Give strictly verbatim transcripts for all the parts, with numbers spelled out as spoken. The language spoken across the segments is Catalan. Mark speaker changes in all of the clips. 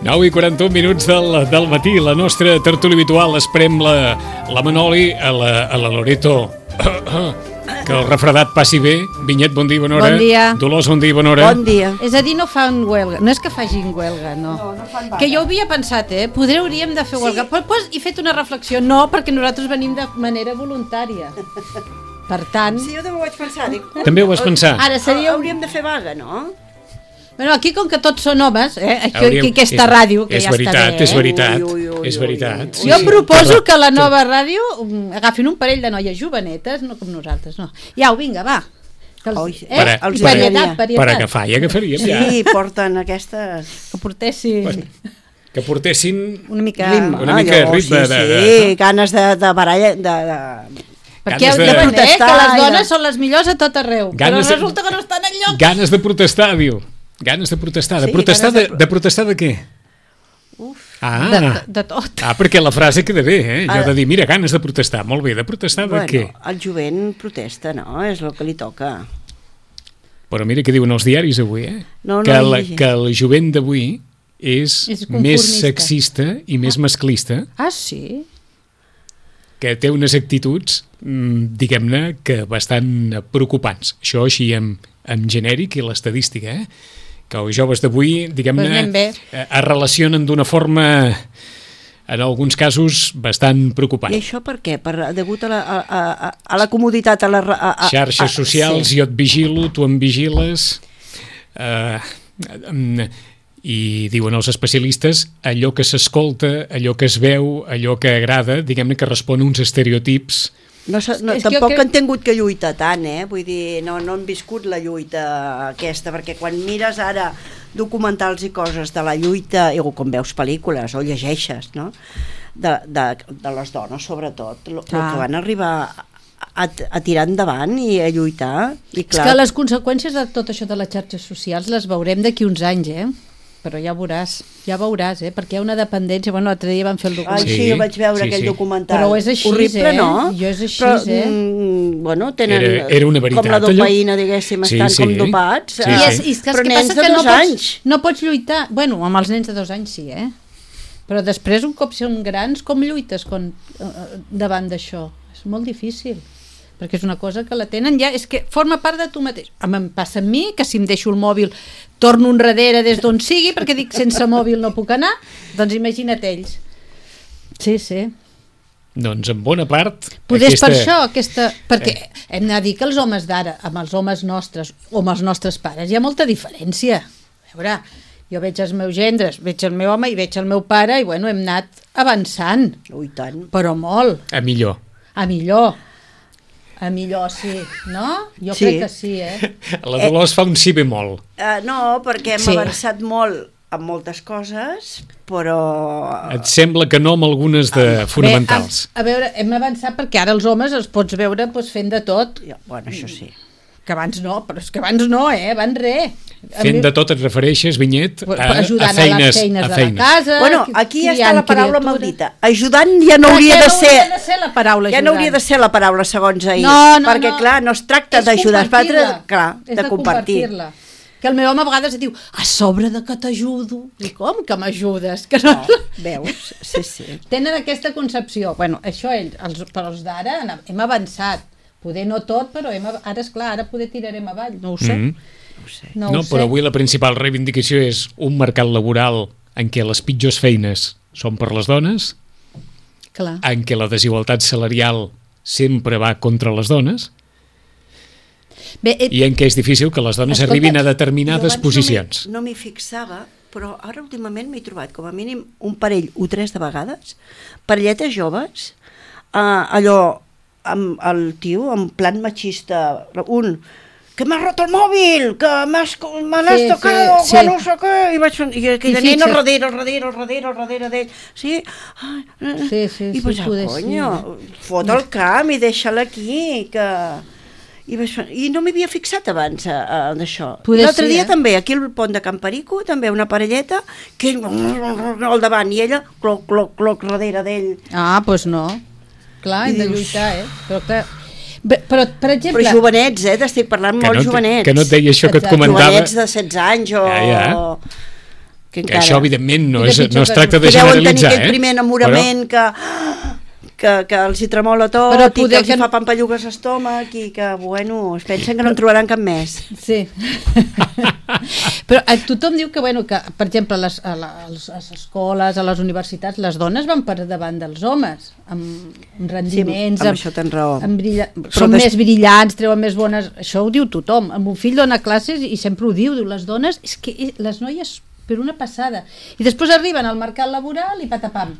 Speaker 1: nou i quaranta-un minuts del, del matí, la nostra tertúlia habitual. Esperem la, la Manoli, a la, a la Loreto, que el refredat passi bé. Vinyet, bon dia, bona hora.
Speaker 2: Bon dia.
Speaker 1: Dolors, bon dia, bona hora.
Speaker 2: Bon dia. És a dir, no fan huelga. No és que facin huelga, no.
Speaker 3: No, no fan vaga.
Speaker 2: Que jo ho havia pensat, eh? Poder hauríem de fer huelga. Sí. Però pues, he fet una reflexió. No, perquè nosaltres venim de manera voluntària. Per tant...
Speaker 3: Sí, jo també ho vaig pensar. Dic,
Speaker 1: També ho vas pensar?
Speaker 2: Ara seria...
Speaker 3: Hauríem de fer vaga, no?
Speaker 2: Bueno, aquí com que tots són homes, eh? Aquí,
Speaker 1: Hauríem...
Speaker 2: aquí aquesta
Speaker 1: és,
Speaker 2: ràdio, que
Speaker 1: és
Speaker 2: ja
Speaker 1: veritat,
Speaker 2: està bé, eh?
Speaker 1: És veritat,
Speaker 3: ui, ui, ui,
Speaker 1: és veritat.
Speaker 3: ui, ui.
Speaker 2: Jo proposo que la nova ràdio agafin un parell de noies jovenetes, no com nosaltres, no. Ja, vinga, va. Que els,
Speaker 3: Oi,
Speaker 2: eh?
Speaker 1: per a-
Speaker 2: I
Speaker 3: per a-
Speaker 2: varietat,
Speaker 1: Per
Speaker 2: varietat.
Speaker 1: agafar i agafaríem, ja.
Speaker 3: Sí, porten aquestes...
Speaker 2: Que portessin...
Speaker 1: Bueno, que portessin...
Speaker 2: Una mica...
Speaker 3: Ritme,
Speaker 1: Una mica de
Speaker 3: allò,
Speaker 1: ritme
Speaker 3: sí,
Speaker 1: de-
Speaker 3: sí,
Speaker 1: de- de-
Speaker 3: ganes de, de baralla... De, de...
Speaker 2: Perquè
Speaker 1: ganes
Speaker 2: heu
Speaker 1: de-
Speaker 2: de veure, eh, que les
Speaker 3: protestar,
Speaker 2: dones
Speaker 3: ja.
Speaker 2: són les millors a tot arreu,
Speaker 1: Ganes de-
Speaker 2: però resulta que no estan enlloc.
Speaker 1: Ganes de protestar, diu. Ganes de protestar. De
Speaker 3: Sí,
Speaker 1: protestar de,
Speaker 3: ganes de-
Speaker 1: de protestar de què?
Speaker 3: Uf.
Speaker 1: Ah,
Speaker 2: De, de tot.
Speaker 1: ah, perquè la frase queda bé, eh? Jo
Speaker 3: Ah.
Speaker 1: de dir, mira, ganes de protestar. Molt bé, de protestar de
Speaker 3: Bueno,
Speaker 1: què?
Speaker 3: el jovent protesta, no? És el que li toca.
Speaker 1: Però mira què diuen els diaris avui, eh?
Speaker 3: No, no
Speaker 1: que,
Speaker 3: he
Speaker 1: la,
Speaker 3: llegit.
Speaker 1: que el jovent d'avui és,
Speaker 2: És
Speaker 1: més
Speaker 2: conformista.
Speaker 1: sexista i més masclista,
Speaker 2: Ah, sí?
Speaker 1: que té unes actituds, mm, diguem-ne, que bastant preocupants. Això així en, en genèric i l'estadística, eh? Que els joves d'avui, diguem-ne,
Speaker 2: Pues anem bé.
Speaker 1: eh, es relacionen d'una forma, en alguns casos, bastant preocupant.
Speaker 3: I això per què? Per, degut a la, a, a, a la comoditat, a la... A, a,
Speaker 1: Xarxes
Speaker 3: a,
Speaker 1: socials,
Speaker 3: sí.
Speaker 1: jo et vigilo, tu em vigiles, eh, mm, i diuen els especialistes, allò que s'escolta, allò que es veu, allò que agrada, diguem-ne que respon a uns estereotips.
Speaker 3: No, sa- no,
Speaker 2: És que jo
Speaker 3: tampoc
Speaker 2: crec-
Speaker 3: han tingut que lluitar tant, eh? Vull dir, no, no han viscut la lluita aquesta, perquè quan mires ara documentals i coses de la lluita, o com veus pel·lícules o llegeixes, no? De, de, de les dones, sobretot, el que
Speaker 2: Clar.
Speaker 3: van arribar a, a tirar endavant i a lluitar. I
Speaker 2: És
Speaker 3: clar,
Speaker 2: que les conseqüències de tot això de les xarxes socials les veurem d'aquí uns anys, eh? Però ja veuràs, ja veuràs, eh? Perquè hi ha una dependència. Bueno, l'altre dia van fer el
Speaker 3: Ai,
Speaker 2: documental.
Speaker 3: sí,
Speaker 1: Sí,
Speaker 3: jo vaig veure
Speaker 1: sí,
Speaker 3: aquell
Speaker 1: sí.
Speaker 3: documental.
Speaker 2: Però és així,
Speaker 3: horrible,
Speaker 2: eh?
Speaker 3: no?
Speaker 2: Jo és així,
Speaker 3: Però,
Speaker 2: eh?
Speaker 3: mm, bueno, tenen
Speaker 1: Era- era una veritat,
Speaker 3: com la
Speaker 1: allò?
Speaker 3: dopaïna, diguéssim,
Speaker 1: Sí,
Speaker 3: estan
Speaker 1: sí.
Speaker 3: com dopats.
Speaker 1: Sí,
Speaker 2: I
Speaker 3: eh,
Speaker 2: és, i és que,
Speaker 3: però
Speaker 2: el que
Speaker 3: nens
Speaker 2: passa
Speaker 3: de
Speaker 2: que no
Speaker 3: dos
Speaker 2: pots,
Speaker 3: anys.
Speaker 2: no pots lluitar. Bueno, amb els nens de dos anys sí, eh? Però després, un cop són grans, com lluites con, eh, davant d'això? És molt difícil, perquè és una cosa que la tenen ja, és que forma part de tu mateix. Em em passa a mi, que si em deixo el mòbil torno enrere des d'on sigui, perquè dic sense mòbil no puc anar, doncs imagina't ells. Sí, sí.
Speaker 1: Doncs en bona part...
Speaker 2: Poder
Speaker 1: aquesta...
Speaker 2: per això, aquesta... perquè hem de dir que els homes d'ara, amb els homes nostres o amb els nostres pares, hi ha molta diferència. A veure, jo veig els meus gendres, veig el meu home i veig el meu pare i bueno, hem anat avançant,
Speaker 3: Ui, tant.
Speaker 2: però molt,
Speaker 1: A millor.
Speaker 2: a millor. A millor sí, no? Jo
Speaker 3: Sí.
Speaker 2: crec que sí, eh?
Speaker 1: La Dolors fa un sí bemol.
Speaker 3: Uh, no, perquè hem
Speaker 2: Sí.
Speaker 3: avançat molt en moltes coses, però...
Speaker 1: Et sembla que no amb algunes de fonamentals.
Speaker 2: Bé, a, a veure, hem avançat perquè ara els homes els pots veure doncs, fent de tot,
Speaker 3: Ja, bueno, això sí.
Speaker 2: que abans no, però és que abans no, eh? Abans res. A
Speaker 1: Fent
Speaker 2: mi-
Speaker 1: de tot et refereixes, Vinyet, a, a
Speaker 2: ajudant
Speaker 1: feines,
Speaker 2: a les feines
Speaker 1: a
Speaker 2: de
Speaker 1: feines.
Speaker 2: la casa.
Speaker 3: Bueno, aquí ja està
Speaker 2: criant
Speaker 3: la paraula
Speaker 2: criatures.
Speaker 3: maldita. Ajudant ja no
Speaker 2: Però
Speaker 3: hauria
Speaker 2: ja
Speaker 3: de
Speaker 2: no
Speaker 3: ser...
Speaker 2: hauria de ser la paraula
Speaker 3: Ja no
Speaker 2: ajudant.
Speaker 3: hauria de ser la paraula segons ahir,
Speaker 2: No, no,
Speaker 3: perquè
Speaker 2: no.
Speaker 3: clar, no es tracta
Speaker 2: És
Speaker 3: d'ajudar, es tracta,
Speaker 2: compartir-la.
Speaker 3: clar,
Speaker 2: És
Speaker 3: de compartir.
Speaker 2: compartir-la. Que el meu home a vegades diu, a sobre de que t'ajudo. I com que m'ajudes? Que no...
Speaker 3: No, veus? Sí, sí.
Speaker 2: Tenen aquesta concepció. Bueno, això ells, els, però els d'ara hem avançat, Poder no tot, però hem, ara, esclar, ara poder tirarem avall, no ho sé.
Speaker 1: Mm-hmm.
Speaker 3: No ho sé.
Speaker 2: No,
Speaker 1: No,
Speaker 2: ho sé.
Speaker 1: però avui la principal reivindicació és un mercat laboral en què les pitjors feines són per les dones,
Speaker 2: Clar.
Speaker 1: en què la desigualtat salarial sempre va contra les dones,
Speaker 2: Bé, eh,
Speaker 1: i en què és difícil que les dones
Speaker 2: Escolta,
Speaker 1: arribin a
Speaker 3: Jo
Speaker 1: determinades
Speaker 3: abans
Speaker 1: posicions.
Speaker 3: No m'hi no fixava, però ara últimament m'he trobat com a mínim un parell o tres de vegades, parelletes joves, eh, allò, amb el tio, en plan machista, un, que m'has roto el mòbil, que m'has me l'has
Speaker 2: Sí,
Speaker 3: tocado,
Speaker 2: sí,
Speaker 3: que
Speaker 2: sí.
Speaker 3: no sé què, i, vaig, i aquella
Speaker 2: I
Speaker 3: nena
Speaker 2: fixa't.
Speaker 3: al darrere, al darrere, al darrere, al darrere d'ell, sí? Ai, eh,
Speaker 2: Sí, sí,
Speaker 3: I
Speaker 2: sí,
Speaker 3: vaig,
Speaker 2: poder
Speaker 3: conyo,
Speaker 2: sí,
Speaker 3: fot el camp i deixa-la aquí, que... I, vaig, I no m'havia fixat abans a, a, d'això. I
Speaker 2: Poder
Speaker 3: l'altre
Speaker 2: sí,
Speaker 3: dia
Speaker 2: eh?
Speaker 3: també, aquí al pont de Camparico, també una parelleta, que ell al davant i ella cloc, cloc, cloc, darrere d'ell.
Speaker 2: Ah, doncs no. Clar,
Speaker 3: I
Speaker 2: hem de
Speaker 3: dius-
Speaker 2: lluitar, eh? Però, clar, bé, però per exemple...
Speaker 3: Però jovenets, eh? T'estic parlant
Speaker 1: Que
Speaker 3: molt
Speaker 1: no, et-
Speaker 3: jovenets.
Speaker 1: que no et deia això que et
Speaker 2: Exacte.
Speaker 1: comentava.
Speaker 3: Jovenets de setze anys o...
Speaker 1: Ja, ja.
Speaker 3: Que,
Speaker 1: Que això, evidentment, no,
Speaker 2: I de
Speaker 1: és,
Speaker 2: pitjor
Speaker 1: no es
Speaker 2: que-
Speaker 1: tracta de
Speaker 3: que deuen tenir
Speaker 1: generalitzar,
Speaker 3: aquell
Speaker 1: eh?
Speaker 3: primer enamorament que, que, que els hi tremola tot
Speaker 2: Però
Speaker 3: i que
Speaker 2: poder
Speaker 3: els hi
Speaker 2: que-
Speaker 3: fa pampallugues a l'estómac i que, bueno, es pensen que no en trobaran cap més.
Speaker 2: Sí. Però eh, tothom diu que, bueno, que per exemple, a les, a les, a les escoles, a les universitats, les dones van per davant dels homes, amb, amb rendiments,
Speaker 3: Sí, amb això tens raó.
Speaker 2: amb brilla...
Speaker 3: Però
Speaker 2: són
Speaker 3: des-
Speaker 2: més brillants, treuen més bones... Això ho diu tothom. El meu fill dona classes i sempre ho diu, diu, les dones, és que les noies per una passada. I després arriben al mercat laboral i patapam.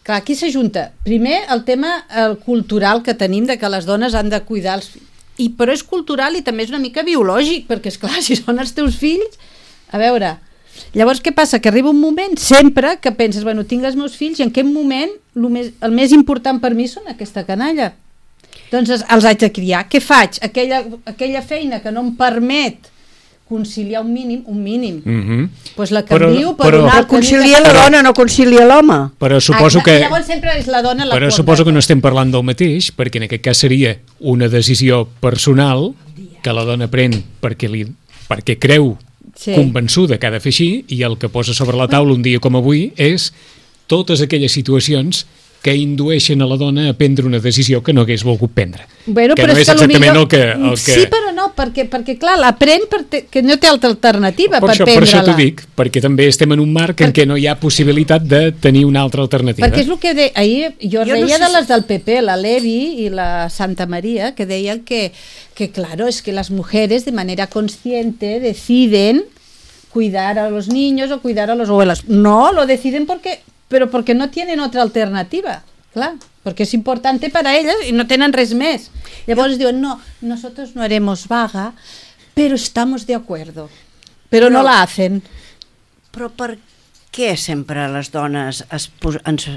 Speaker 2: Clar, aquí s'ajunta, primer, el tema el cultural que tenim de que les dones han de cuidar els fills. I, però és cultural i també és una mica biològic, perquè, és clar, si són els teus fills... A veure, llavors què passa? Que arriba un moment, sempre, que penses, bueno, tinc els meus fills i en aquest moment el més, el més important per mi són aquesta canalla. Doncs els, els haig de criar. Què faig? Aquella, aquella feina que no em permet conciliar un mínim, un mínim.
Speaker 1: Mhm.
Speaker 2: Pues la
Speaker 1: Però-
Speaker 2: canvio per
Speaker 1: però-
Speaker 2: una
Speaker 3: Però
Speaker 2: altra.
Speaker 3: concilia la dona, no concilia l'home.
Speaker 1: Però suposo
Speaker 2: Ah,
Speaker 1: que...
Speaker 2: Llavors sempre és la dona la
Speaker 1: Però
Speaker 2: quota.
Speaker 1: suposo que no estem parlant del mateix, perquè en aquest cas seria una decisió personal que la dona pren perquè, li, perquè creu
Speaker 2: Sí.
Speaker 1: convençuda que ha de fer així, i el que posa sobre la taula un dia com avui és totes aquelles situacions que indueixen a la dona a prendre una decisió que no hagués volgut prendre.
Speaker 2: Bueno,
Speaker 1: que
Speaker 2: però
Speaker 1: no és
Speaker 2: que
Speaker 1: exactament
Speaker 2: millor...
Speaker 1: el que... El que...
Speaker 2: Sí, però no, perquè, perquè clar, l'aprèn perquè que no té altra alternativa
Speaker 1: per,
Speaker 2: per
Speaker 1: això, per això
Speaker 2: prendre-la.
Speaker 1: t'ho dic, perquè també estem en un marc en
Speaker 2: Per-
Speaker 1: què no hi ha possibilitat de tenir una altra alternativa.
Speaker 2: Perquè és el que de, ahir jo,
Speaker 3: Jo no
Speaker 2: deia
Speaker 3: sé
Speaker 2: de
Speaker 3: si-
Speaker 2: les del P P, la Levi i la Santa María, que deien que, que claro, es que las mujeres de manera consciente deciden cuidar a los niños o cuidar a los abuelos. No, lo deciden porque, pero porque no tienen otra alternativa. Clar, porque es importante para ellas y no tenen res més. Llavors diuen, no, nosotros no haremos vaga, pero estamos de acuerdo. Pero no
Speaker 3: Però-
Speaker 2: la hacen.
Speaker 3: Però per què sempre les dones es pos ens,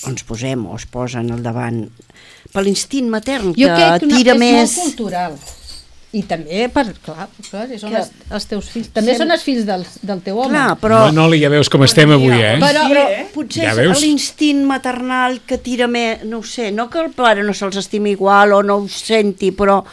Speaker 3: ens posem o es posen al davant? Per l'instint matern,
Speaker 2: Jo
Speaker 3: que
Speaker 2: crec que una,
Speaker 3: tira
Speaker 2: és
Speaker 3: més...
Speaker 2: molt cultural. I també, per, clar, clar si són
Speaker 3: Que-
Speaker 2: els, els teus fills. També
Speaker 3: Sem-
Speaker 2: són els fills del, del teu home.
Speaker 3: Clar, però...
Speaker 1: Manoli, ja veus com estem avui, eh?
Speaker 2: Però-
Speaker 3: però potser
Speaker 1: Ja
Speaker 3: és
Speaker 1: veus?
Speaker 3: l'instint maternal que tira més... No ho sé, no que el pare no se'ls estimi igual o no ho senti, però...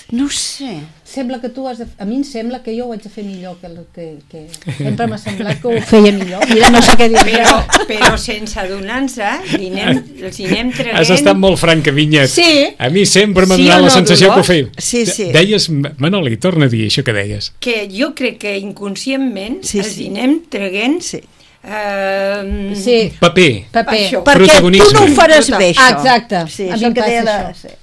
Speaker 3: No ho sé.
Speaker 2: Sembla que tu has de... A mi em sembla que jo ho haig de fer millor que... el que, que... Sempre m'ha semblat que ho feia millor. Mira, no sé què dir.
Speaker 4: Però, però sense adonar-se, li anem, els hi anem traient...
Speaker 1: Has estat molt franca, Vinyet.
Speaker 2: Sí.
Speaker 1: A mi sempre m'ha
Speaker 4: Sí
Speaker 1: donat
Speaker 4: o
Speaker 1: la
Speaker 4: no,
Speaker 1: sensació que ho
Speaker 4: Dolors?
Speaker 1: feia.
Speaker 3: Sí, sí.
Speaker 1: Deies, Manoli, torna a dir això que deies.
Speaker 4: Que jo crec que inconscientment
Speaker 3: Sí,
Speaker 4: els
Speaker 3: sí.
Speaker 4: hi anem traient...
Speaker 3: Sí.
Speaker 4: Eh,
Speaker 2: Sí,
Speaker 1: Paper.
Speaker 2: paper.
Speaker 4: Això.
Speaker 3: Perquè tu
Speaker 1: Protagonisme.
Speaker 3: no ho faràs
Speaker 4: Total.
Speaker 3: bé, això.
Speaker 2: Exacte.
Speaker 3: Sí,
Speaker 2: A mi
Speaker 3: això
Speaker 2: em
Speaker 3: que
Speaker 2: passa
Speaker 3: deia de...
Speaker 2: això.
Speaker 3: Sí.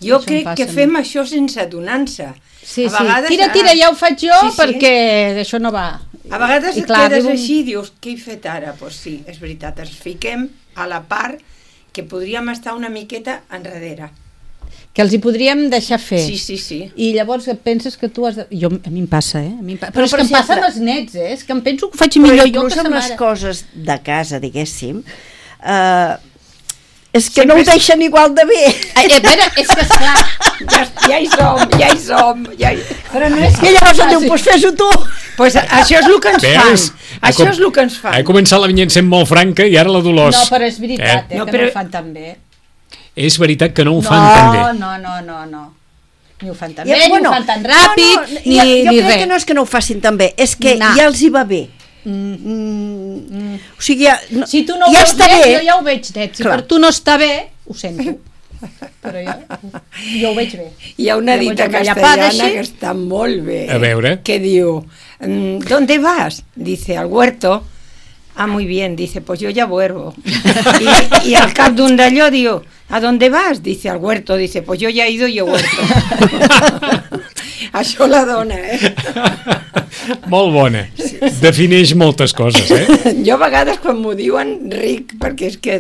Speaker 4: Jo
Speaker 2: Això em
Speaker 4: crec
Speaker 2: passa
Speaker 4: que
Speaker 2: a mi.
Speaker 4: fem això sense adonar-se.
Speaker 2: Sí,
Speaker 4: A
Speaker 2: sí.
Speaker 4: vegades,
Speaker 2: Tira,
Speaker 4: ah,
Speaker 2: tira, ja ho faig jo
Speaker 4: sí, sí.
Speaker 2: perquè això no va.
Speaker 4: A vegades
Speaker 2: I
Speaker 4: et
Speaker 2: clar,
Speaker 4: quedes
Speaker 2: arriba un-
Speaker 4: així i dius, què he fet ara? Doncs pues sí, és veritat, ens fiquem a la part que podríem estar una miqueta enrere.
Speaker 2: Que els hi podríem deixar fer.
Speaker 4: Sí, sí, sí.
Speaker 2: I llavors penses que tu has de... Jo, a mi em passa, eh? A mi em pa... Però,
Speaker 3: Però,
Speaker 2: és
Speaker 3: per
Speaker 2: que em passa
Speaker 3: exemple-
Speaker 2: amb els nets, eh? És que em penso que ho faig
Speaker 3: Però
Speaker 2: millor jo
Speaker 3: inclús
Speaker 2: que sa
Speaker 3: amb les
Speaker 2: mare.
Speaker 3: coses de casa, diguéssim, eh, és que
Speaker 4: Sempre
Speaker 3: no ho
Speaker 4: és-
Speaker 3: deixen igual de bé.
Speaker 2: Eh, eh, espera, és que esclar...
Speaker 4: Ja, ja hi som, ja hi som. Ja hi...
Speaker 2: Però no és
Speaker 3: I llavors em diu,
Speaker 2: fàcil.
Speaker 3: doncs fes-ho tu.
Speaker 4: Pues això és el que ens
Speaker 1: Veus?
Speaker 4: fan.
Speaker 1: Ha
Speaker 4: Això
Speaker 1: com-
Speaker 4: és el que ens fan.
Speaker 1: Ha començat la Vinyet sent molt franca i ara la Dolors.
Speaker 2: No, però és veritat, eh,
Speaker 1: Eh?
Speaker 4: No,
Speaker 2: que
Speaker 4: però-
Speaker 2: no ho fan tan bé.
Speaker 1: És veritat que no ho
Speaker 2: no,
Speaker 1: fan tan bé.
Speaker 2: no, no, no, no. Ni ho fan tan
Speaker 3: Ja,
Speaker 2: bé,
Speaker 3: bueno,
Speaker 2: ni ho fan tan ràpid,
Speaker 3: no, no,
Speaker 2: ni,
Speaker 3: jo, jo
Speaker 2: ni
Speaker 3: crec
Speaker 2: res.
Speaker 3: que no és que no ho facin tan bé, és que
Speaker 2: No.
Speaker 3: ja els hi va bé.
Speaker 2: Mm.
Speaker 3: Mm, o sigui, ja, no,
Speaker 2: Si tu no ho
Speaker 3: ja
Speaker 2: veus
Speaker 3: està
Speaker 2: net,
Speaker 3: bé.
Speaker 2: jo ja ho veig net. Si
Speaker 3: Clar.
Speaker 2: per tu no està bé, ho sento. però jo, jo ho veig bé.
Speaker 4: Hi ha una dita
Speaker 2: Llavors, allà
Speaker 4: castellana
Speaker 2: padeixi.
Speaker 4: que està molt bé.
Speaker 1: A veure.
Speaker 4: Que diu, mm, ¿dónde vas? Dice, al huerto. Ah, muy bien. Dice, pues yo ya vuelvo. Y, y al cap d'un d'allò diu, ¿a dónde vas? Dice, al huerto. Dice, pues yo ya he ido y he huerto. Això la dona, eh?
Speaker 1: Molt bona. Defineix moltes coses, eh?
Speaker 4: Jo a vegades quan m'ho diuen ric, perquè és que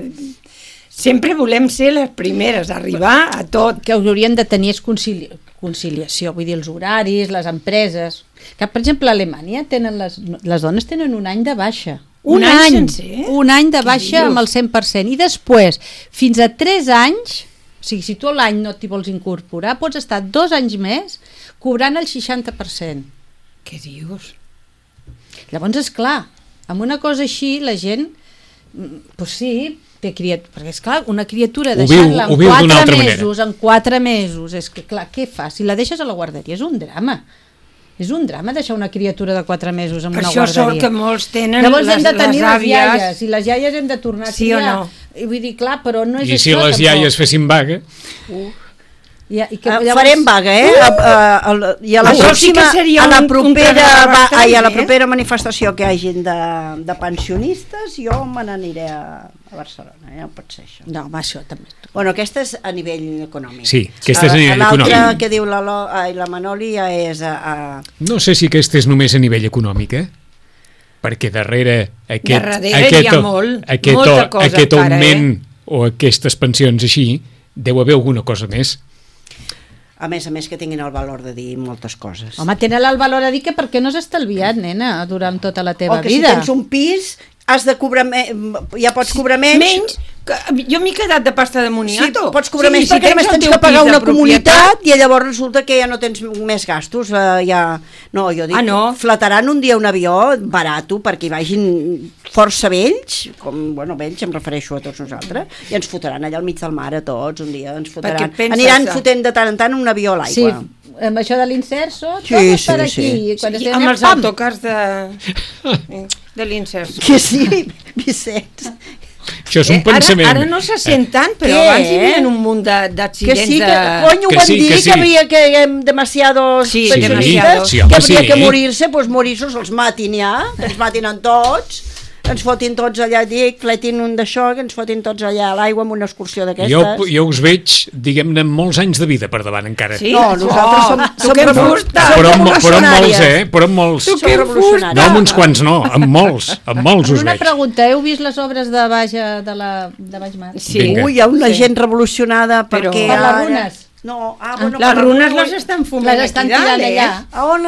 Speaker 4: sempre volem ser les primeres, arribar a tot.
Speaker 2: Que haurien de tenir és concili conciliació, vull dir, els horaris, les empreses. Que, per exemple, a Alemanya tenen les, les dones tenen un any de baixa.
Speaker 4: Un any sencer?
Speaker 2: Un any de
Speaker 4: Què
Speaker 2: baixa
Speaker 4: dius?
Speaker 2: amb el cent per cent. I després, fins a tres anys, o sigui, si tu a l'any no t'hi vols incorporar, pots estar dos anys més cobrant el seixanta per cent.
Speaker 4: Què dius?
Speaker 2: Llavors, és clar, amb una cosa així, la gent, mm, doncs sí, té criatura, perquè és clar, una criatura
Speaker 1: Ho viu-
Speaker 2: deixar-la
Speaker 1: ho
Speaker 2: en
Speaker 1: viu d'una
Speaker 2: quatre
Speaker 1: altra manera.
Speaker 2: mesos, en quatre mesos, és que clar, què fas? Si la deixes a la guarderia és un drama. És un drama deixar una criatura de quatre mesos en
Speaker 4: Per
Speaker 2: una
Speaker 4: això
Speaker 2: guarderia.
Speaker 4: sort que molts tenen
Speaker 2: Llavors
Speaker 4: les,
Speaker 2: hem de tenir
Speaker 4: les
Speaker 2: les
Speaker 4: àvies.
Speaker 2: iaies, i les iaies hem de tornar a
Speaker 4: Sí o
Speaker 2: triar.
Speaker 4: no?
Speaker 2: I vull dir, clar, però no és
Speaker 1: I si
Speaker 2: això
Speaker 1: les
Speaker 2: tampoc.
Speaker 1: iaies fessin vaga,
Speaker 2: I, i que,
Speaker 3: Uh,
Speaker 2: llavors-
Speaker 3: farem vaga, eh? Uh! A, a, a, I a la
Speaker 4: Això sí que
Speaker 3: pròxima,
Speaker 4: seria
Speaker 3: a la
Speaker 4: un- un
Speaker 3: propera,
Speaker 4: programa
Speaker 3: va,
Speaker 4: bastant,
Speaker 3: ai, a la
Speaker 4: eh?
Speaker 3: propera manifestació que hagin de, de pensionistes, jo me n'aniré a, a Barcelona, ja no pot ser això.
Speaker 2: No, home, això també.
Speaker 3: Bueno, aquesta és a nivell econòmic.
Speaker 1: Sí, aquesta és a nivell
Speaker 3: L'altra
Speaker 1: econòmic.
Speaker 3: que diu la, Lo- ai, la Manoli ja és a, a...
Speaker 1: no sé si aquesta és només a nivell econòmic, eh? Perquè darrere aquest,
Speaker 4: Darrere
Speaker 1: aquest,
Speaker 4: hi ha molt,
Speaker 1: aquest,
Speaker 4: molta cosa
Speaker 1: aquest
Speaker 4: encara,
Speaker 1: augment o aquestes pensions així, deu haver alguna cosa més.
Speaker 3: A més a més que tinguin el valor de dir moltes coses.
Speaker 2: Home, tenen el valor a dir que per què no has estalviat, nena, durant tota la teva
Speaker 3: o que
Speaker 2: vida.
Speaker 3: si tens un pis has de cobrar me... ja pots cobrar menys.
Speaker 4: Menys, que jo m'he quedat de pasta de
Speaker 3: Sí,
Speaker 4: moniato.
Speaker 3: pots cobrar
Speaker 4: Sí,
Speaker 3: menys
Speaker 4: si
Speaker 3: perquè només
Speaker 4: el
Speaker 3: tens
Speaker 4: teu
Speaker 3: que pagar
Speaker 4: pis de
Speaker 3: una comunitat
Speaker 4: propietat.
Speaker 3: i llavors resulta que ja no tens més gastos. Eh, ja... No, jo dic,
Speaker 4: Ah, no?
Speaker 3: fletaran un dia un avió barato perquè hi vagin força vells, com, bueno, vells em refereixo a tots nosaltres, i ens fotran allà al mig del mar a tots, un dia ens fotran.
Speaker 4: penses
Speaker 3: Aniran
Speaker 4: que-
Speaker 3: fotent de tant en tant un avió a
Speaker 2: Sí,
Speaker 3: l'aigua.
Speaker 2: amb això de l'inserso,
Speaker 3: Sí,
Speaker 2: tot
Speaker 3: sí,
Speaker 2: per
Speaker 3: sí.
Speaker 2: aquí. I quan
Speaker 4: Sí,
Speaker 2: estem
Speaker 4: amb
Speaker 2: allà,
Speaker 4: els
Speaker 2: pam!
Speaker 4: autocars de, de l'inserso.
Speaker 3: Que sí, Vicenç.
Speaker 1: Això és un
Speaker 4: Eh,
Speaker 1: pensament.
Speaker 4: Ara, ara no se sent tant, però
Speaker 3: Què?
Speaker 4: abans hi havia un munt de-
Speaker 3: Que
Speaker 4: d'accidents
Speaker 3: sí, que,
Speaker 4: de...
Speaker 3: coño,
Speaker 1: Que
Speaker 3: ho van
Speaker 1: sí,
Speaker 3: dir,
Speaker 1: que
Speaker 3: que,
Speaker 1: sí.
Speaker 3: havia que hem demasiados
Speaker 4: Sí,
Speaker 3: pensionistes,
Speaker 4: sí,
Speaker 3: que
Speaker 1: home,
Speaker 3: havia
Speaker 1: sí.
Speaker 3: que morir-se, doncs morir-se, els matin ja, que ens matin en tots, que ens fotin tots allà, dic, fletin un d'això, que ens fotin tots allà a l'aigua amb una excursió d'aquestes.
Speaker 1: Jo, jo us veig, diguem-ne, amb molts anys de vida per davant encara.
Speaker 4: Sí?
Speaker 3: No, nosaltres som,
Speaker 4: tu
Speaker 3: som,
Speaker 4: què em
Speaker 3: revolu-
Speaker 4: fusta?
Speaker 3: som
Speaker 1: Però, amb, però amb molts,
Speaker 3: revolucionàries.
Speaker 1: eh? Però amb molts.
Speaker 3: Som
Speaker 4: què em
Speaker 3: revolucionàries.
Speaker 1: No amb uns quants, no, amb molts, amb molts us
Speaker 2: Una
Speaker 1: veig.
Speaker 2: pregunta, heu vist les obres de Baix, de la, de Baix Mar?
Speaker 4: Sí.
Speaker 1: Vinga.
Speaker 3: Ui, hi ha una
Speaker 2: Sí.
Speaker 3: gent revolucionada
Speaker 4: Però-
Speaker 3: perquè...
Speaker 2: Per les
Speaker 3: ara-
Speaker 2: runes.
Speaker 3: No, ah, bueno,
Speaker 4: Les
Speaker 3: per les
Speaker 4: runes les estan fumant
Speaker 2: Les estan
Speaker 4: aquí dalt,
Speaker 2: tirant
Speaker 4: eh?
Speaker 2: allà.
Speaker 3: A on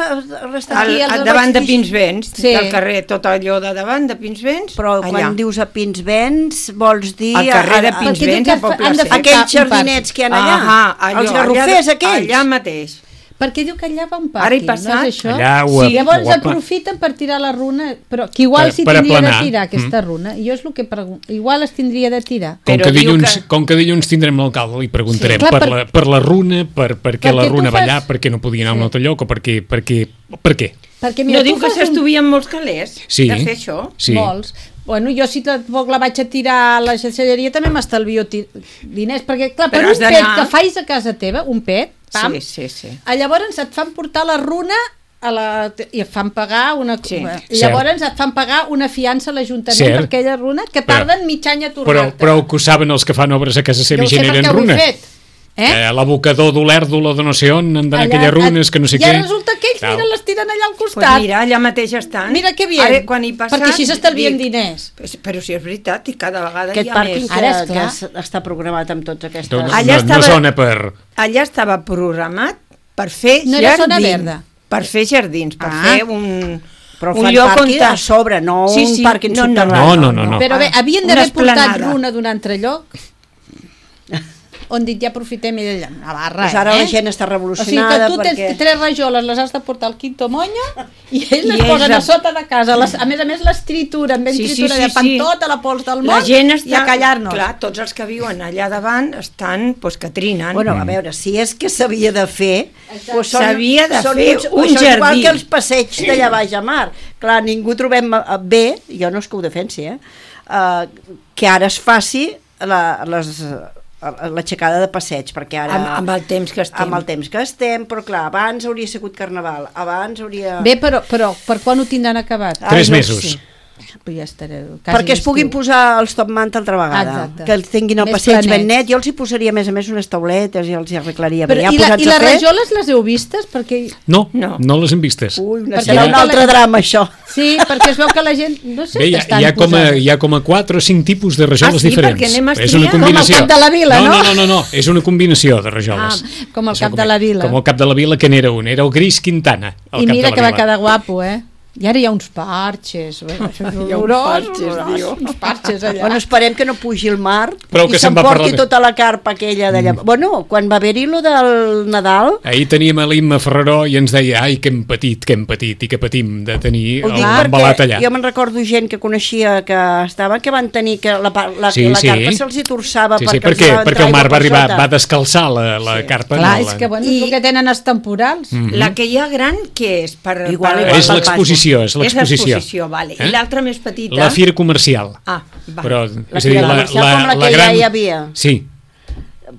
Speaker 3: estan
Speaker 4: Al,
Speaker 2: Aquí, els
Speaker 4: al davant
Speaker 2: vaig
Speaker 4: de
Speaker 2: dir-
Speaker 4: Pinsbens,
Speaker 2: Sí.
Speaker 4: del carrer, tot allò de davant de Pinsbens,
Speaker 3: Però
Speaker 4: allà.
Speaker 3: quan dius a Pinsbens vols dir...
Speaker 4: Al carrer de
Speaker 3: a- a-
Speaker 2: Perquè diu
Speaker 4: Pinsbens,
Speaker 2: que
Speaker 4: a Poble
Speaker 2: han de
Speaker 4: Sec.
Speaker 2: fer
Speaker 3: Aquells
Speaker 2: un parc.
Speaker 3: jardinets que hi ha allà,
Speaker 4: Ahà, allò,
Speaker 3: els garrofers
Speaker 4: allà,
Speaker 3: aquells.
Speaker 4: Allà mateix.
Speaker 2: Perquè diu que allà va un
Speaker 4: Ara hi
Speaker 2: pàrquing,
Speaker 4: passat.
Speaker 2: no és això?
Speaker 1: Allà ho,
Speaker 4: Sí,
Speaker 1: ho
Speaker 2: Llavors
Speaker 1: apa-
Speaker 2: aprofiten per tirar la runa, però que igual
Speaker 1: Per-
Speaker 2: s'hi
Speaker 1: per
Speaker 2: tindria de
Speaker 1: aplanar.
Speaker 2: tirar aquesta runa. Jo és el que pregunto. Igual es tindria de tirar.
Speaker 1: Com
Speaker 4: Però
Speaker 1: que,
Speaker 4: diu
Speaker 1: dilluns,
Speaker 4: que-
Speaker 1: com que dilluns tindrem l'alcalde, li preguntarem
Speaker 2: Sí. Clar,
Speaker 1: per,
Speaker 2: per-
Speaker 1: la, per la runa, per, per què la
Speaker 2: Perquè tu
Speaker 1: runa va
Speaker 2: fas-
Speaker 1: allà, per què no podia anar a un
Speaker 2: Sí.
Speaker 1: altre lloc, o per què, per què, per què?
Speaker 2: Perquè mira,
Speaker 4: No
Speaker 2: tu
Speaker 4: diu que
Speaker 2: fas un...
Speaker 4: s'estuvien molts calés
Speaker 1: Sí.
Speaker 4: de fer això.
Speaker 1: Sí.
Speaker 2: Molts. Bueno, jo si tampoc la vaig a tirar a la xatxalleria també m'estalvio ti- diners, perquè clar, per
Speaker 4: Però
Speaker 2: un
Speaker 4: has
Speaker 2: pet
Speaker 4: d'anar-
Speaker 2: que fais a casa teva, un pet, pam,
Speaker 4: Sí, sí, sí.
Speaker 2: a llavors et fan portar la runa a la, i et fan pagar una
Speaker 4: Sí.
Speaker 2: i llavors et fan pagar una fiança a l'Ajuntament
Speaker 1: Cert.
Speaker 2: per aquella runa que
Speaker 1: Però-
Speaker 2: tarden mig any a
Speaker 1: Però,
Speaker 2: tornar-te.
Speaker 1: però que ho saben els que fan obres a casa seva
Speaker 2: jo
Speaker 1: i
Speaker 2: ho sé
Speaker 1: generen
Speaker 2: perquè ho he
Speaker 1: runa.
Speaker 2: fet. Eh?
Speaker 1: Eh, l'abocador d'Olèrdola de no sé on, han d'anar
Speaker 2: Allà-
Speaker 1: aquelles runes que no sé
Speaker 2: I
Speaker 1: què.
Speaker 2: ara resulta que ells,
Speaker 1: Tal.
Speaker 2: mira, les tiren allà al
Speaker 4: Pues
Speaker 2: costat.
Speaker 4: mira, allà mateix estan.
Speaker 2: Mira que bien,
Speaker 4: Ara, quan hi passat,
Speaker 2: perquè així s'estalvien
Speaker 4: dic,
Speaker 2: diners.
Speaker 4: Però, però si és veritat, i cada vegada
Speaker 3: Aquest
Speaker 4: hi ha
Speaker 3: pàrquing
Speaker 4: més.
Speaker 3: que,
Speaker 2: Ara, és
Speaker 3: que
Speaker 2: clar.
Speaker 3: es- està programat amb tots aquestes...
Speaker 1: No, no,
Speaker 4: Allà
Speaker 1: no,
Speaker 4: estava-
Speaker 1: no sona per...
Speaker 4: Allà estava programat per fer
Speaker 2: No era
Speaker 4: jardins.
Speaker 2: zona verda.
Speaker 4: Per fer jardins, per
Speaker 2: Ah.
Speaker 4: fer un,
Speaker 3: Però
Speaker 4: un
Speaker 3: fan
Speaker 4: lloc on...
Speaker 3: pàrquing a sobre, no
Speaker 4: Sí,
Speaker 3: un
Speaker 4: sí,
Speaker 3: pàrquing
Speaker 4: no, no,
Speaker 3: subterrani.
Speaker 1: No, no, no, no.
Speaker 2: Però bé,
Speaker 4: Ah,
Speaker 2: havien
Speaker 4: una
Speaker 2: d'haver portat
Speaker 4: esplanada.
Speaker 2: runa d'un altre lloc on dit ja aprofitem i d'allà, una barra,
Speaker 3: Pues ara
Speaker 2: eh?
Speaker 3: la gent està
Speaker 2: O sigui que
Speaker 3: revolucionada
Speaker 2: tu tens
Speaker 3: perquè...
Speaker 2: tres rajoles, les has de portar al quinto moño i ells les
Speaker 4: I ells
Speaker 2: posen
Speaker 4: a-
Speaker 2: a sota de casa. Les, a més a més les trituren, ben
Speaker 4: Sí, sí,
Speaker 2: tritura,
Speaker 4: sí,
Speaker 2: sí, fan
Speaker 4: sí.
Speaker 2: tota la pols del
Speaker 4: La
Speaker 2: món
Speaker 4: gent està...
Speaker 2: i a callar-nos.
Speaker 4: Clar, tots els que viuen allà davant estan, doncs, que trinen.
Speaker 3: Bueno, a veure, si és que s'havia de fer... Doncs són,
Speaker 4: S'havia de
Speaker 3: són
Speaker 4: fer
Speaker 3: uns,
Speaker 4: un
Speaker 3: això és igual
Speaker 4: jardí.
Speaker 3: que els passeigs d'allà baix a mar. Clar, ningú trobem eh, bé, jo no és que ho defensi, eh, uh, que ara es faci la, les, l'aixecada de passeig, perquè ara...
Speaker 4: Amb, amb el temps que estem.
Speaker 3: Amb el temps que estem, però clar, abans hauria sigut Carnaval, abans hauria...
Speaker 2: Bé, però, però per quan ho tindran acabat?
Speaker 1: Tres
Speaker 3: Ai, no
Speaker 1: mesos.
Speaker 3: sé.
Speaker 2: Pues ja estaré, quasi
Speaker 3: Perquè es puguin
Speaker 2: estiu.
Speaker 3: posar els top manta altra vegada.
Speaker 2: Exacte.
Speaker 3: Que els tinguin el
Speaker 2: Més
Speaker 3: passeig ben
Speaker 2: planets.
Speaker 3: net. Jo els hi posaria, a més a més, unes tauletes i els hi arreglaria
Speaker 2: Però,
Speaker 3: bé. Ja
Speaker 2: i, la,
Speaker 3: posats
Speaker 2: I
Speaker 3: a
Speaker 2: les
Speaker 3: fer...
Speaker 2: rajoles les heu vistes? Perquè,
Speaker 1: No,
Speaker 4: No.
Speaker 1: no les hem vistes.
Speaker 3: Ui, una,
Speaker 2: Perquè
Speaker 3: serà
Speaker 2: no-
Speaker 3: un altre drama, això.
Speaker 2: sí, perquè es veu que la gent... No sé
Speaker 1: Bé, hi,
Speaker 2: si
Speaker 1: ha,
Speaker 2: estan
Speaker 1: hi, ha com a,
Speaker 2: posades.
Speaker 1: hi ha com a quatre o cinc tipus de rajoles
Speaker 4: Ah, sí?
Speaker 1: diferents.
Speaker 4: Perquè anem a
Speaker 1: És una
Speaker 4: estudiar.
Speaker 1: combinació.
Speaker 2: Com al Cap de la Vila, no?
Speaker 1: No, no, no, no, és una combinació de rajoles.
Speaker 2: Ah, com el
Speaker 1: És
Speaker 2: Cap
Speaker 1: una
Speaker 2: de la Vila.
Speaker 1: Com el Cap de la Vila, que n'era un, era el Gris Quintana. El
Speaker 2: I
Speaker 1: Cap
Speaker 2: mira
Speaker 1: de la
Speaker 2: que va
Speaker 1: Vila.
Speaker 2: quedar guapo, eh? I ara hi ha uns parxes. Bé, això és
Speaker 4: Hi ha uns
Speaker 2: horrorós,
Speaker 4: parxes,
Speaker 2: horrorós,
Speaker 4: diu.
Speaker 2: uns parxes allà.
Speaker 3: Bueno, esperem que no pugi el mar
Speaker 1: Prou
Speaker 3: i
Speaker 1: que se'n va
Speaker 3: s'emporti
Speaker 1: parlar.
Speaker 3: tota la carpa aquella d'allà. Mm. Bueno, quan va haver-hi lo del Nadal,
Speaker 1: Ahir teníem a l'Imma Ferreró i ens deia ai, que hem patit, que hem patit i que patim de tenir
Speaker 3: ho
Speaker 1: el
Speaker 3: dic
Speaker 1: embalat
Speaker 3: perquè
Speaker 1: allà.
Speaker 3: jo me'n recordo gent que coneixia que estava, que van tenir que la, pa- la,
Speaker 1: Sí,
Speaker 3: la
Speaker 1: sí.
Speaker 3: carpa se'ls hi torçava
Speaker 1: Sí, sí,
Speaker 3: perquè, els
Speaker 1: perquè,
Speaker 3: va entrar
Speaker 1: perquè el mar
Speaker 3: aigua
Speaker 1: va
Speaker 3: per
Speaker 1: arribar,
Speaker 3: sota.
Speaker 1: va descalçar la, la carpa.
Speaker 2: Clar,
Speaker 1: no,
Speaker 2: és
Speaker 1: la-
Speaker 2: que bueno,
Speaker 4: I-
Speaker 2: és el que tenen els temporals.
Speaker 1: Mhm.
Speaker 4: La que hi ha gran, què és? Per,
Speaker 3: Igual,
Speaker 4: per...
Speaker 3: igual.
Speaker 1: És l'exposició, és
Speaker 4: És
Speaker 1: l'exposició.
Speaker 4: l'exposició, vale.
Speaker 1: Eh?
Speaker 4: I l'altra més petita?
Speaker 1: La fira comercial.
Speaker 4: Ah, va.
Speaker 1: Però,
Speaker 3: La
Speaker 1: és a dir,
Speaker 3: fira
Speaker 1: la,
Speaker 3: comercial
Speaker 1: la,
Speaker 3: com la
Speaker 1: la
Speaker 3: que ja
Speaker 1: gran...
Speaker 3: hi havia.
Speaker 1: Sí,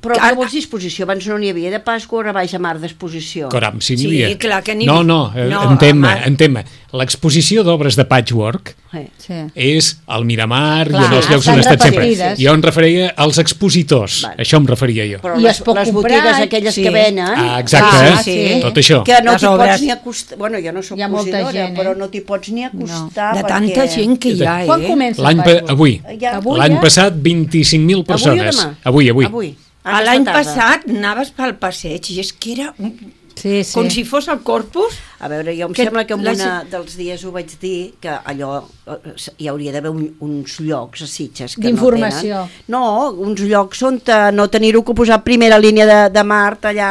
Speaker 3: Però
Speaker 4: Ah,
Speaker 3: què vols dir exposició? Abans no n'hi havia de Pasqua o baix a mar d'exposició.
Speaker 1: caram, si n'hi
Speaker 4: Sí,
Speaker 1: havia.
Speaker 4: clar que n'hi
Speaker 1: No,
Speaker 4: havia.
Speaker 1: no, eh,
Speaker 4: No,
Speaker 1: en tema,
Speaker 4: home.
Speaker 1: en tema. L'exposició d'obres de patchwork
Speaker 3: Eh.
Speaker 2: Sí.
Speaker 1: és al Miramar
Speaker 2: Clar,
Speaker 1: i en els llocs on
Speaker 2: estan
Speaker 1: he estat sempre.
Speaker 2: repartides.
Speaker 1: Jo em referia als expositors,
Speaker 3: Vale.
Speaker 1: això em referia jo.
Speaker 3: Però
Speaker 2: I
Speaker 3: les,
Speaker 2: es pot
Speaker 3: les
Speaker 2: comprar,
Speaker 3: botigues aquelles
Speaker 4: sí.
Speaker 3: que venen...
Speaker 1: Ah, exacte,
Speaker 2: Ah,
Speaker 1: eh?
Speaker 2: sí.
Speaker 1: Tot això.
Speaker 3: Que no
Speaker 4: Les
Speaker 3: t'hi
Speaker 4: obres.
Speaker 3: pots ni acostar... Bueno, jo no soc
Speaker 2: Hi ha molta
Speaker 3: cosidora,
Speaker 2: gent, eh?
Speaker 3: però no t'hi pots ni acostar
Speaker 4: De
Speaker 3: perquè...
Speaker 4: tanta gent que hi ha, eh?
Speaker 2: Quan comença
Speaker 1: L'any
Speaker 2: el
Speaker 1: pa
Speaker 2: Patchwork?
Speaker 1: avui,
Speaker 3: Ja.
Speaker 2: Avui
Speaker 1: l'any
Speaker 2: ja?
Speaker 1: passat vint-i-cinc mil persones.
Speaker 3: Avui o demà?
Speaker 1: Avui, avui.
Speaker 3: Avui.
Speaker 4: A
Speaker 3: Aquesta
Speaker 4: l'any
Speaker 3: tarda.
Speaker 4: passat anaves pel passeig i és que era un...
Speaker 2: Sí, sí.
Speaker 4: com si fos el Corpus.
Speaker 3: A veure, jo em
Speaker 4: Que
Speaker 3: sembla que en
Speaker 4: la
Speaker 3: una
Speaker 4: gent-
Speaker 3: dels dies ho vaig dir, que allò eh, hi hauria d'haver un, uns llocs a Sitges que
Speaker 2: D'informació.
Speaker 3: no tenen. No, uns llocs on te, no tenir-ho que posar primera línia de, de mar allà...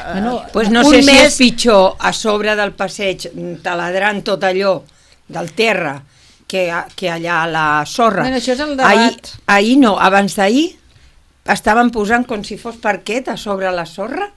Speaker 3: Eh,
Speaker 2: Bueno,
Speaker 4: Pues no
Speaker 3: un
Speaker 4: sé si
Speaker 3: mes-
Speaker 4: és pitjor a sobre del passeig, taladrant tot allò del terra, que, a- que allà a la sorra.
Speaker 2: Bueno, això és el debat.
Speaker 4: Ahir, ahir no, abans d'ahir estaven posant com si fos parquet a sobre la sorra.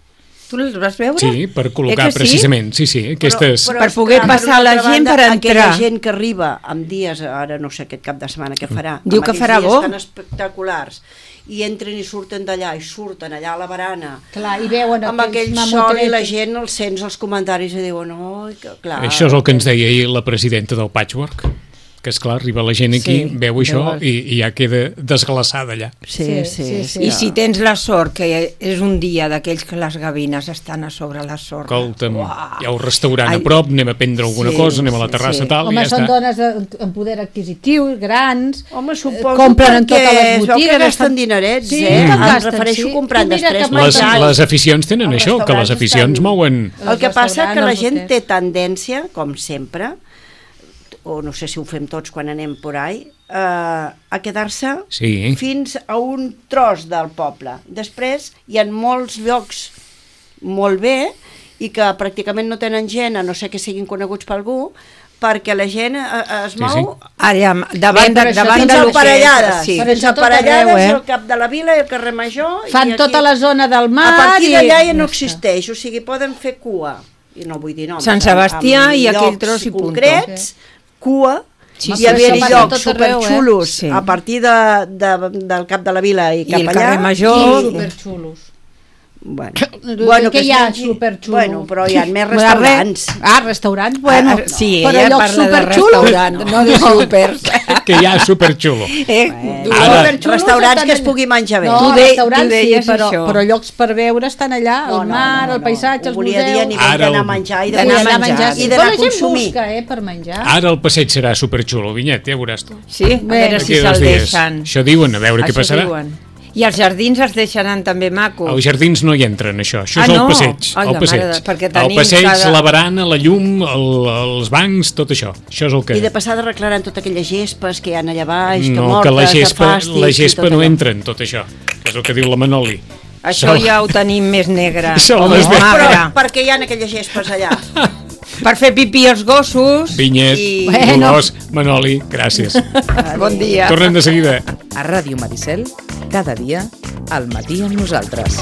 Speaker 4: Tu els vas veure?
Speaker 1: Sí, per col·locar
Speaker 4: Eh que sí?
Speaker 1: precisament, sí, sí, aquestes...
Speaker 4: Per poder
Speaker 3: esclar,
Speaker 4: passar
Speaker 3: una
Speaker 4: la
Speaker 3: altra
Speaker 4: gent per
Speaker 3: Aquella
Speaker 4: entrar.
Speaker 3: gent que arriba amb dies, ara no sé aquest cap de setmana què farà,
Speaker 4: Diu
Speaker 3: amb
Speaker 4: que
Speaker 3: aquells
Speaker 4: farà
Speaker 3: dies
Speaker 4: bo.
Speaker 3: tan espectaculars, i entren i surten d'allà, i surten allà a la barana,
Speaker 2: Clar, i veuen
Speaker 3: amb aquell
Speaker 2: aquells
Speaker 3: sol i la
Speaker 2: mamotetes.
Speaker 3: gent els sents els comentaris i diuen, oi, que clar...
Speaker 1: Això és el que ens deia ahir la presidenta del Patchwork, que és clar, arriba la gent aquí,
Speaker 2: Sí,
Speaker 1: veu això
Speaker 2: veus.
Speaker 1: i, i ja queda desglaçada allà.
Speaker 3: Sí, sí,
Speaker 2: Sí,
Speaker 3: sí.
Speaker 2: sí, sí.
Speaker 4: I si tens la sort, que és un dia d'aquells que les gavines estan a sobre la sorra.
Speaker 1: Escolta'm,
Speaker 4: Uah.
Speaker 1: hi ha un restaurant
Speaker 4: Ai.
Speaker 1: a prop, anem a prendre alguna
Speaker 3: Sí,
Speaker 1: cosa, anem a la
Speaker 3: sí,
Speaker 1: terrassa
Speaker 3: sí.
Speaker 1: tal,
Speaker 2: Home,
Speaker 1: i ja
Speaker 2: són
Speaker 1: està.
Speaker 2: dones de- amb poder adquisitiu, grans,
Speaker 3: Home,
Speaker 2: eh,
Speaker 3: suposo
Speaker 2: compren en
Speaker 3: perquè
Speaker 2: totes les
Speaker 3: es veu
Speaker 2: botigues.
Speaker 3: que gasten
Speaker 2: estan-
Speaker 3: dinerets,
Speaker 2: sí,
Speaker 3: eh?
Speaker 2: que
Speaker 3: Em
Speaker 2: gasten,
Speaker 3: refereixo
Speaker 2: sí.
Speaker 3: comprant
Speaker 2: Tu mira
Speaker 3: després
Speaker 2: que
Speaker 1: Les,
Speaker 2: menjant.
Speaker 1: les aficions tenen
Speaker 3: Els
Speaker 1: això, que les
Speaker 3: restaurants
Speaker 1: aficions
Speaker 3: estan-
Speaker 1: mouen...
Speaker 3: El que
Speaker 2: Els
Speaker 3: passa que la
Speaker 2: restaurants,
Speaker 3: gent
Speaker 2: els
Speaker 3: té tendència, com sempre, o no sé si ho fem tots quan anem por ahí, eh, a quedar-se
Speaker 1: Sí.
Speaker 3: fins a un tros del poble. Després hi ha molts llocs molt bé i que pràcticament no tenen gent, a no ser que siguin coneguts per algú, perquè la gent eh, es
Speaker 1: Sí,
Speaker 3: mou
Speaker 1: sí.
Speaker 4: Ara, davant,
Speaker 2: Bé, però
Speaker 4: de,
Speaker 2: això
Speaker 4: davant
Speaker 3: fins
Speaker 4: de
Speaker 3: a
Speaker 4: lo que-
Speaker 3: aparellades,
Speaker 4: Sí.
Speaker 2: Però
Speaker 3: fins
Speaker 2: això
Speaker 3: a
Speaker 2: tot
Speaker 3: aparellades,
Speaker 2: arreu, eh?
Speaker 3: el cap de la vila i el carrer Major.
Speaker 2: Fan
Speaker 3: i aquí,
Speaker 2: tota la zona del
Speaker 3: a
Speaker 2: mar
Speaker 3: partir
Speaker 2: i...
Speaker 3: d'allà ja no
Speaker 2: està.
Speaker 3: existeix, o sigui, poden fer cua, i no vull dir noms,
Speaker 4: Sant
Speaker 3: amb-
Speaker 4: Sebastià
Speaker 3: amb
Speaker 4: i aquell
Speaker 3: llocs
Speaker 4: tros i punto.
Speaker 3: concrets, cua,
Speaker 4: Sí,
Speaker 3: i
Speaker 4: sí,
Speaker 3: haver-hi
Speaker 4: això passa
Speaker 3: llocs
Speaker 2: tot arreu, eh?
Speaker 3: superxulos
Speaker 4: Sí.
Speaker 3: a partir de, de, del cap de la vila i
Speaker 4: I
Speaker 3: cap
Speaker 4: el
Speaker 3: allà.
Speaker 4: carrer Major.
Speaker 2: Sí, superxulos.
Speaker 3: Bueno,
Speaker 2: Bueno, que
Speaker 3: es
Speaker 2: hi ha
Speaker 3: mengi-
Speaker 2: superxulo?
Speaker 3: Bueno, però hi ha més
Speaker 2: Bueno,
Speaker 3: restaurants.
Speaker 2: re- Ah, restaurants, bueno.
Speaker 4: Ah, sí,
Speaker 2: però
Speaker 4: ella
Speaker 2: llocs
Speaker 4: parla de
Speaker 2: superxulos.
Speaker 4: restaurant, no de súpers.
Speaker 1: Que hi ha superxulo.
Speaker 4: Eh?
Speaker 3: Bueno,
Speaker 1: Ara-
Speaker 2: Superxulos
Speaker 3: restaurants
Speaker 2: estan
Speaker 3: que es
Speaker 2: allà.
Speaker 3: pugui menjar bé.
Speaker 2: No,
Speaker 4: Tu de-
Speaker 2: restaurants
Speaker 4: tu deies
Speaker 2: sí, però,
Speaker 4: això.
Speaker 2: però llocs per veure estan allà,
Speaker 3: No,
Speaker 2: el
Speaker 3: no,
Speaker 2: mar,
Speaker 3: no,
Speaker 2: el
Speaker 3: no.
Speaker 2: paisatge,
Speaker 3: Ho
Speaker 2: els
Speaker 3: volia dir a
Speaker 2: museus...
Speaker 3: nivell
Speaker 1: Ara
Speaker 3: d'anar a
Speaker 1: el-
Speaker 3: menjar i
Speaker 4: d'anar
Speaker 3: d'anar
Speaker 4: a
Speaker 3: a
Speaker 4: menjar,
Speaker 3: menjar
Speaker 4: sí.
Speaker 3: i
Speaker 2: Però
Speaker 3: d'anar
Speaker 2: la
Speaker 3: a
Speaker 2: gent
Speaker 3: consumir.
Speaker 2: busca, eh, per menjar.
Speaker 1: Ara el passeig serà superxulo, Vinyet, ja veuràs tu.
Speaker 4: Sí, a
Speaker 2: Bé,
Speaker 4: veure si
Speaker 1: D'aquí a dos
Speaker 4: se'l
Speaker 1: dies.
Speaker 4: deixen.
Speaker 1: Això diuen, a veure què
Speaker 4: Això
Speaker 1: passarà.
Speaker 4: diuen. I els jardins es deixaran també macos.
Speaker 1: Els jardins no hi entren, això. Això
Speaker 4: Ah,
Speaker 1: és el
Speaker 4: no?
Speaker 1: passeig.
Speaker 4: Ai,
Speaker 1: el
Speaker 4: la
Speaker 1: passeig,
Speaker 4: mare de- perquè
Speaker 1: el
Speaker 4: tenim
Speaker 1: passeig
Speaker 4: cada-
Speaker 1: la barana, la llum, el, els bancs, tot això. Això és el que...
Speaker 3: I de passada arreglaran tota aquelles gespes que hi ha allà baix, que
Speaker 1: no,
Speaker 3: mortes,
Speaker 1: que la
Speaker 3: de
Speaker 1: gespa,
Speaker 3: fàstics
Speaker 1: la
Speaker 3: i
Speaker 1: gespa
Speaker 3: tot
Speaker 1: no
Speaker 3: allò.
Speaker 1: entra en tot això, que és el que diu la Manoli.
Speaker 4: Això ja ho tenim més negre,
Speaker 1: Això
Speaker 4: o
Speaker 1: ho
Speaker 4: més
Speaker 1: has vist.
Speaker 3: Però
Speaker 4: magre.
Speaker 3: per què hi ha aquelles gespes allà?
Speaker 4: Per fer pipí als gossos.
Speaker 1: Vinyet,
Speaker 4: I...
Speaker 2: Bueno.
Speaker 1: Dolors, Manoli, gràcies.
Speaker 4: Bon dia.
Speaker 1: Tornem de seguida.
Speaker 5: A Ràdio Maricel, cada dia, al matí amb nosaltres.